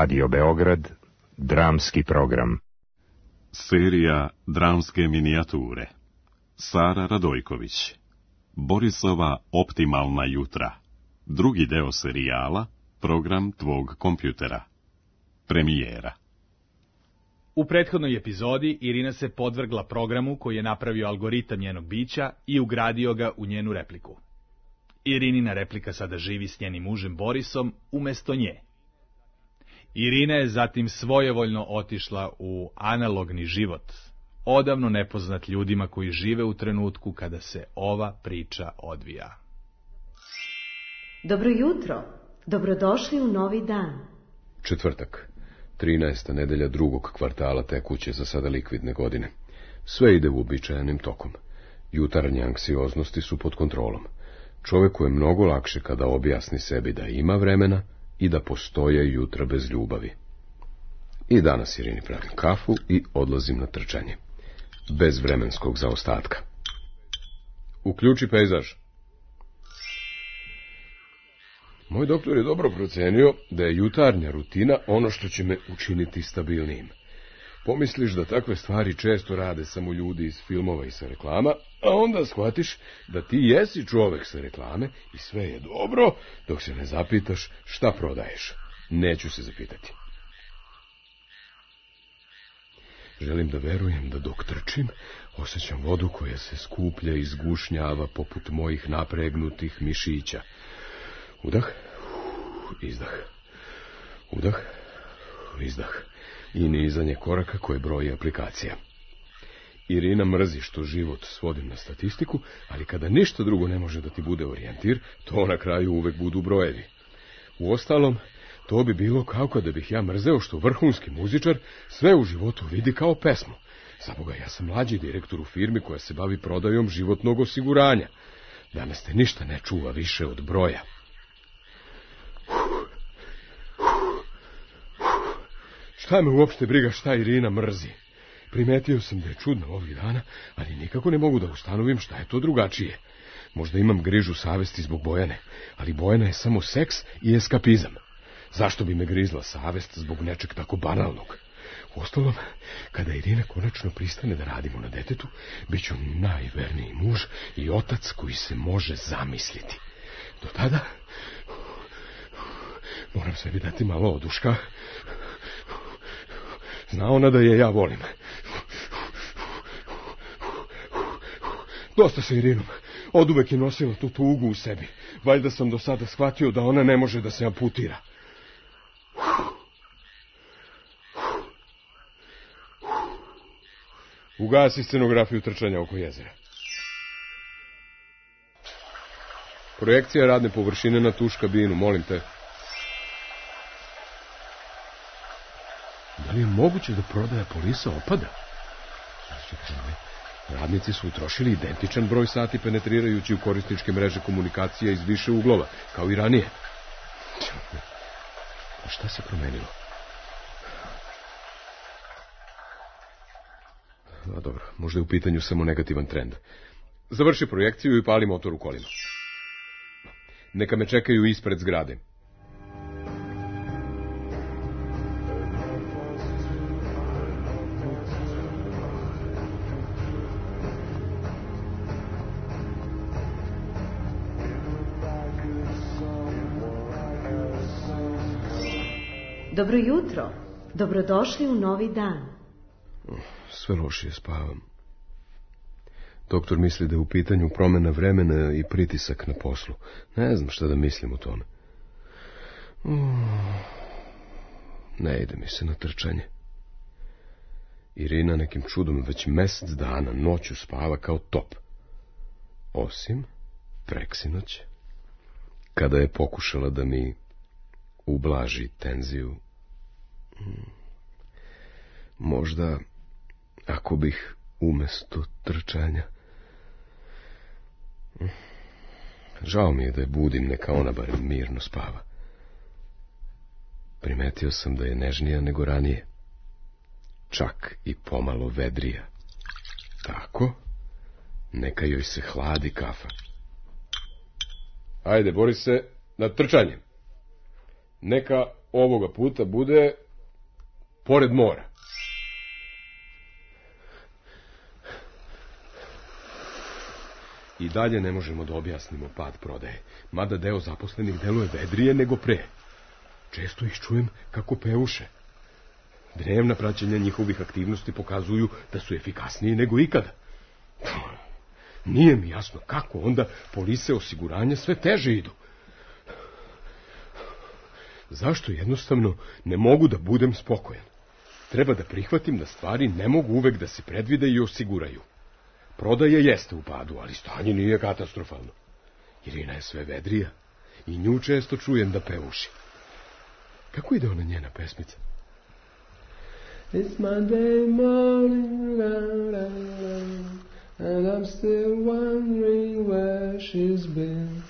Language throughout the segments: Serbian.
Radio Beograd, dramski program. Serija dramske minijature. Sara Radojković. Borisova optimalna jutra. Drugi deo serijala Program tvog kompjutera. Premijera. U prethodnoj epizodi Irina se podvrgla programu koji je napravio algoritam njenog bića i ugradio ga u njenu repliku. Irinina replika sada živi s njenim mužem Borisom umjesto nje. Irina je zatim svojevoljno otišla u analogni život, odavno nepoznat ljudima koji žive u trenutku kada se ova priča odvija. Dobro jutro, dobrodošli u novi dan. Četvrtak, 13. nedelja drugog kvartala tekuće za sada likvidne godine. Sve ide uobičajenim tokom. Jutarnje anksioznosti su pod kontrolom. Čovjeku je mnogo lakše kada objasni sebi da ima vremena i da postoje jutra bez ljubavi. I danas Irini pravim kafu i odlazim na trčanje. Bez vremenskog zaostatka. Uključi pejzaž. Moj doktor je dobro procenio da je jutarnja rutina ono što će me učiniti stabilnijim. Pomisliš da takve stvari često rade samo ljudi iz filmova i sa reklama, a onda shvatiš da ti jesi čovek sa reklame i sve je dobro, dok se ne zapitaš šta prodaješ. Neću se zapitati. Želim da verujem da dok trčim, osjećam vodu koja se skuplja i zgušnjava poput mojih napregnutih mišića. Udah, izdah, udah, izdah i nizanje koraka koje broji aplikacija. Irina mrzi što život svodim na statistiku, ali kada ništa drugo ne može da ti bude orijentir, to na kraju uvek budu brojevi. Uostalom, to bi bilo kao kada bih ja mrzeo što vrhunski muzičar sve u životu vidi kao pesmu. Zaboga, ja sam mlađi direktor u firmi koja se bavi prodajom životnog osiguranja. Danas te ništa ne čuva više od broja. Šta me uopšte briga šta Irina mrzi? Primetio sam da je čudna ovih dana, ali nikako ne mogu da ustanovim šta je to drugačije. Možda imam grižu savesti zbog Bojane, ali Bojana je samo seks i eskapizam. Zašto bi me grizla savest zbog nečeg tako banalnog? Uostalom, kada Irina konačno pristane da radimo na detetu, bit ću najverniji muž i otac koji se može zamisliti. Do tada moram sebi dati malo oduška. Zna ona da je ja volim. Dosta sa Irinom. Oduvek je nosila tu tugu u sebi. Valjda sam do sada shvatio da ona ne može da se amputira. Ugasi scenografiju trčanja oko jezera. Projekcija radne površine na tuš kabinu, molim te. Da li je moguće da prodaja polisa opada? Radnici su utrošili identičan broj sati penetrirajući u korisničke mreže komunikacija iz više uglova, kao i ranije. A šta se promenilo? A dobro, možda je u pitanju samo negativan trend. Završi projekciju i pali motor u kolima. Neka me čekaju ispred zgrade. Dobro jutro, dobrodošli u novi dan. Sve lošije spavam. Doktor misli da je u pitanju promjena vremena i pritisak na poslu. Ne znam šta da mislim o tome. Ne ide mi se na trčanje. Irina nekim čudom već mjesec dana noću spava kao top. Osim preksinoć, kada je pokušala da mi ublaži tenziju. Možda, ako bih umjesto trčanja... Žao mi je da je budim, neka ona barem mirno spava. Primetio sam da je nežnija nego ranije. Čak i pomalo vedrija. Tako, neka joj se hladi kafa. Ajde, Borise, na trčanje. Neka ovoga puta bude pored mora. I dalje ne možemo da objasnimo pad prodaje, mada deo zaposlenih deluje vedrije nego pre. Često ih čujem kako peuše. Dnevna praćenja njihovih aktivnosti pokazuju da su efikasniji nego ikada. Nije mi jasno kako onda polise osiguranja sve teže idu. Zašto jednostavno ne mogu da budem spokojan? Treba da prihvatim da stvari ne mogu uvek da se predvide i osiguraju. Prodaja jeste u padu, ali stanje nije katastrofalno. Irina je sve vedrija i nju često čujem da peuši. Kako ide ona njena pesmica? It's Monday morning, and I'm still wondering where she's been.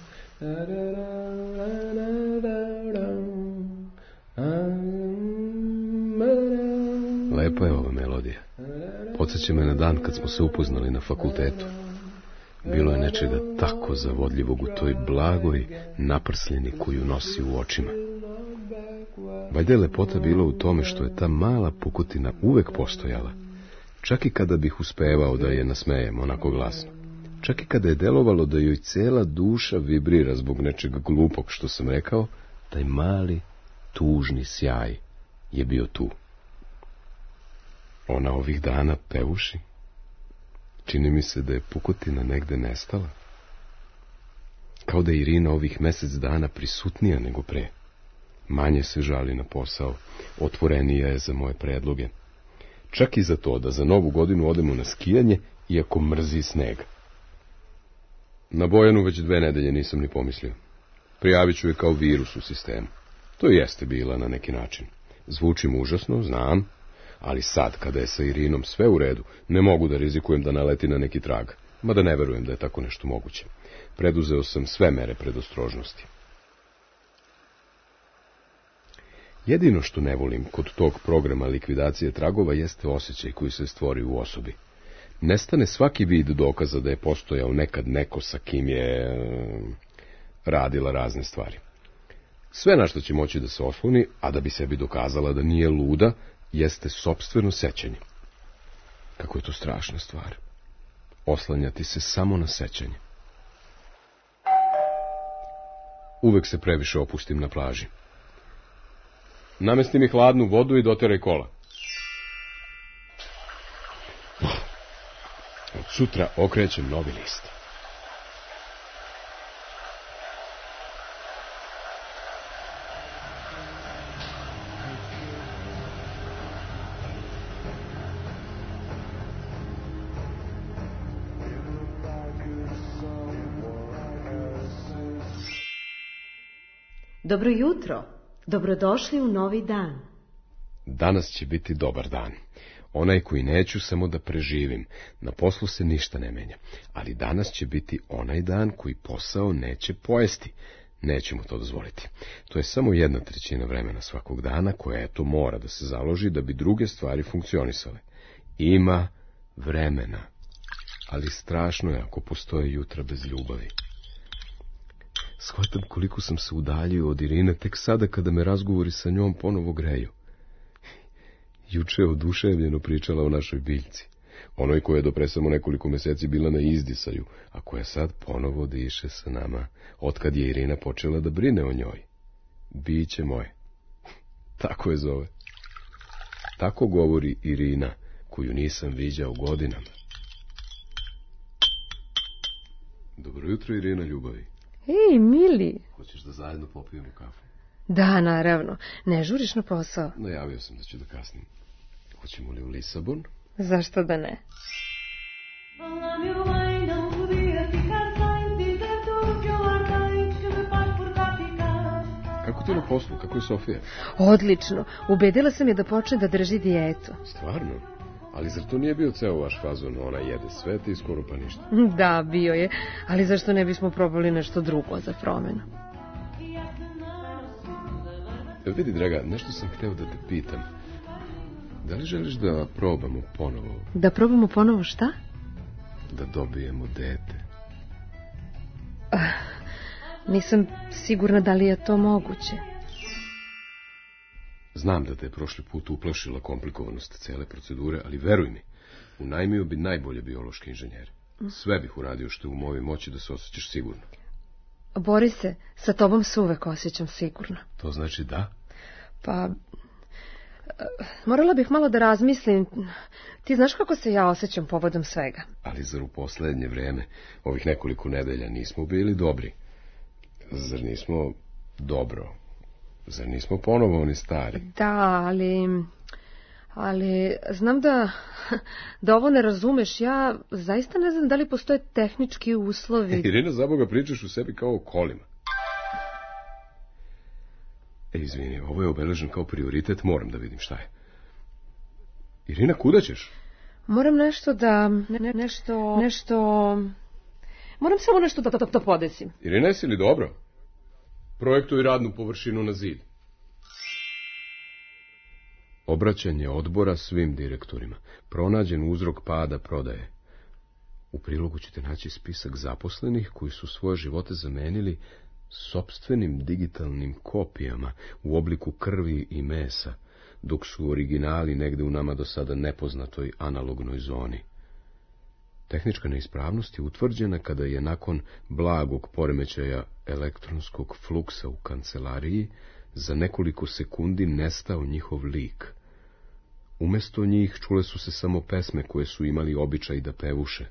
Lepa je ova melodija. Podsjeća me na dan kad smo se upoznali na fakultetu. Bilo je nečega tako zavodljivog u toj blagoj naprsljeni koju nosi u očima. Valjda je lepota bila u tome što je ta mala pukotina uvek postojala, čak i kada bih uspevao da je nasmejem onako glasno. Čak i kada je delovalo da joj cela duša vibrira zbog nečeg glupog što sam rekao, taj mali, tužni sjaj je bio tu. Ona ovih dana peuši. Čini mi se da je pukotina negde nestala. Kao da je Irina ovih mesec dana prisutnija nego pre. Manje se žali na posao, otvorenija je za moje predloge. Čak i za to da za Novu godinu odemo na skijanje, iako mrzi sneg. Na Bojanu već 2 nedelje nisam ni pomislio. Prijavit ću je kao virus u sistemu. To jeste bila na neki način. Zvučim užasno, znam, ali sad, kada je sa Irinom sve u redu, ne mogu da rizikujem da naleti na neki trag, mada ne verujem da je tako nešto moguće. Preduzeo sam sve mere predostrožnosti. Jedino što ne volim kod tog programa likvidacije tragova jeste osjećaj koji se stvori u osobi. Nestane svaki vid dokaza da je postojao nekad neko sa kim je radila razne stvari. Sve na što će moći da se osloni, a da bi sebi dokazala da nije luda, jeste sopstveno sećanje. Kako je to strašna stvar. Oslanjati se samo na sećanje. Uvek se previše opustim na plaži. Namesti mi hladnu vodu i doteraj kola. Od sutra okrećem novi list. Dobro jutro. Dobrodošli u novi dan. Danas će biti dobar dan. Onaj koji neću samo da preživim. Na poslu se ništa ne menja. Ali danas će biti onaj dan koji posao neće pojesti. Nećemo to dozvoliti. To je samo 1/3 vremena svakog dana koja eto mora da se založi da bi druge stvari funkcionisale. Ima vremena. Ali strašno je ako postoje jutra bez ljubavi. Shvatam koliko sam se udaljio od Irine tek sada kada me razgovori sa njom ponovo greju. Juče je oduševljeno pričala o našoj biljci, onoj koja je do pre samo nekoliko meseci bila na izdisaju, a koja sad ponovo diše sa nama, otkad je Irina počela da brine o njoj. Biće moje. Tako je zove. Tako govori Irina, koju nisam viđao godinama. Dobro jutro, Irina ljubavi. Ej, mili. Hoćeš da zajedno popijemo kafu? Da, naravno. Ne žuriš na posao? Najavio sam da ću da kasnim. Hoćemo li u Lisabon? Zašto da ne? Kako ti na poslu? Kako je Sofija? Odlično. Ubedila sam je da počne da drži dijetu. Stvarno? Ali zar to nije bio ceo vaš fazon? Ona jede sve i skoro pa ništa. Da, bio je. Ali zašto ne bismo probali nešto drugo za promenu? Vidi, draga, nešto sam hteo da te pitam. Da li želiš da probamo ponovo? Da probamo ponovo šta? Da dobijemo dete. Nisam sigurna da li je to moguće. Znam da te je prošli put uplašila komplikovanost cele procedure, ali veruj mi, unajmio bi najbolje biološke inženjere. Sve bih uradio što je u mojoj moći da se osjećaš sigurno. Borise, sa tobom se uvek osjećam sigurno. To znači da? Pa, morala bih malo da razmislim. Ti znaš kako se ja osjećam povodom svega. Ali zar u poslednje vreme, ovih nekoliko nedelja, nismo bili dobri? Zar nismo dobro? Zar nismo ponovo oni stari? Da, ali znam da ovo ne razumeš. Ja zaista ne znam da li postoje tehnički uslovi. Irina, za Boga, pričaš u sebi kao o kolima. Izvini, ovo je obeležen kao prioritet, moram da vidim šta je. Irina, kuda ćeš? Moram nešto da... Moram samo nešto da podesim. Irina, jesi li dobro? Projektuj radnu površinu na zid. Obraćanje odbora svim direktorima. Pronađen uzrok pada prodaje. U prilogu ćete naći spisak zaposlenih koji su svoje živote zamenili sopstvenim digitalnim kopijama u obliku krvi i mesa, dok su originali negde u nama do sada nepoznatoj analognoj zoni. Tehnička neispravnost je utvrđena kada je nakon blagog poremećaja elektronskog fluksa u kancelariji za nekoliko sekundi nestao njihov lik. Umesto njih čule su se samo pesme koje su imali običaj da pevuše.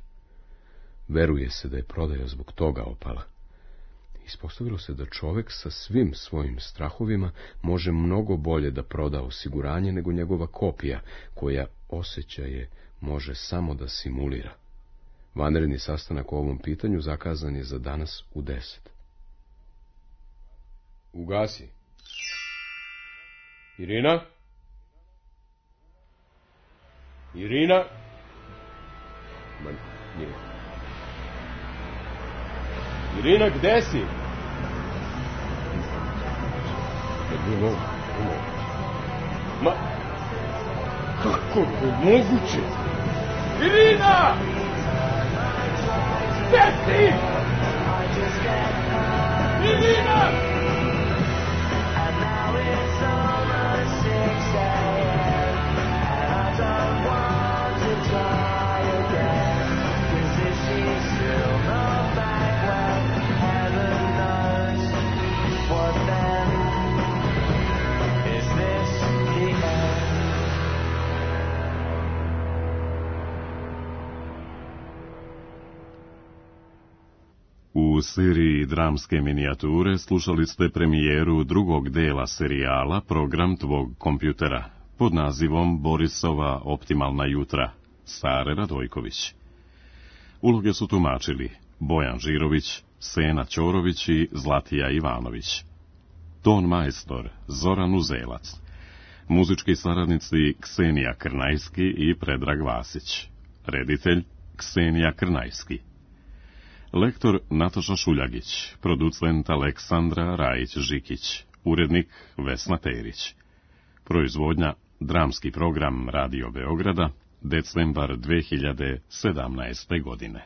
Veruje se da je prodaja zbog toga opala. Ispostavilo se da čovek sa svim svojim strahovima može mnogo bolje da proda osiguranje nego njegova kopija, koja osjećaje može samo da simulira. Vanredni sastanak o ovom pitanju zakazan je za danas u 10. Ugasi. Irina? Irina? Ma, nije. Irina, gde si? Ma, kako je moguće? Irina! Gde si? Irina! U seriji dramske minijature slušali ste premijeru drugog dela serijala Program tvog kompjutera pod nazivom Borisova optimalna jutra, Sare Radojković. Uloge su tumačili Bojan Žirović, Sena Ćorović i Zlatija Ivanović. Ton majstor Zoran Uzelac. Muzički saradnici Ksenija Krnajski i Predrag Vasić. Reditelj Ksenija Krnajski. Lektor Nataša Šuljagić, producent Aleksandra Rajić-Žikić, urednik Vesna Terić. Proizvodnja Dramski program Radio Beograda, decembar 2017. godine.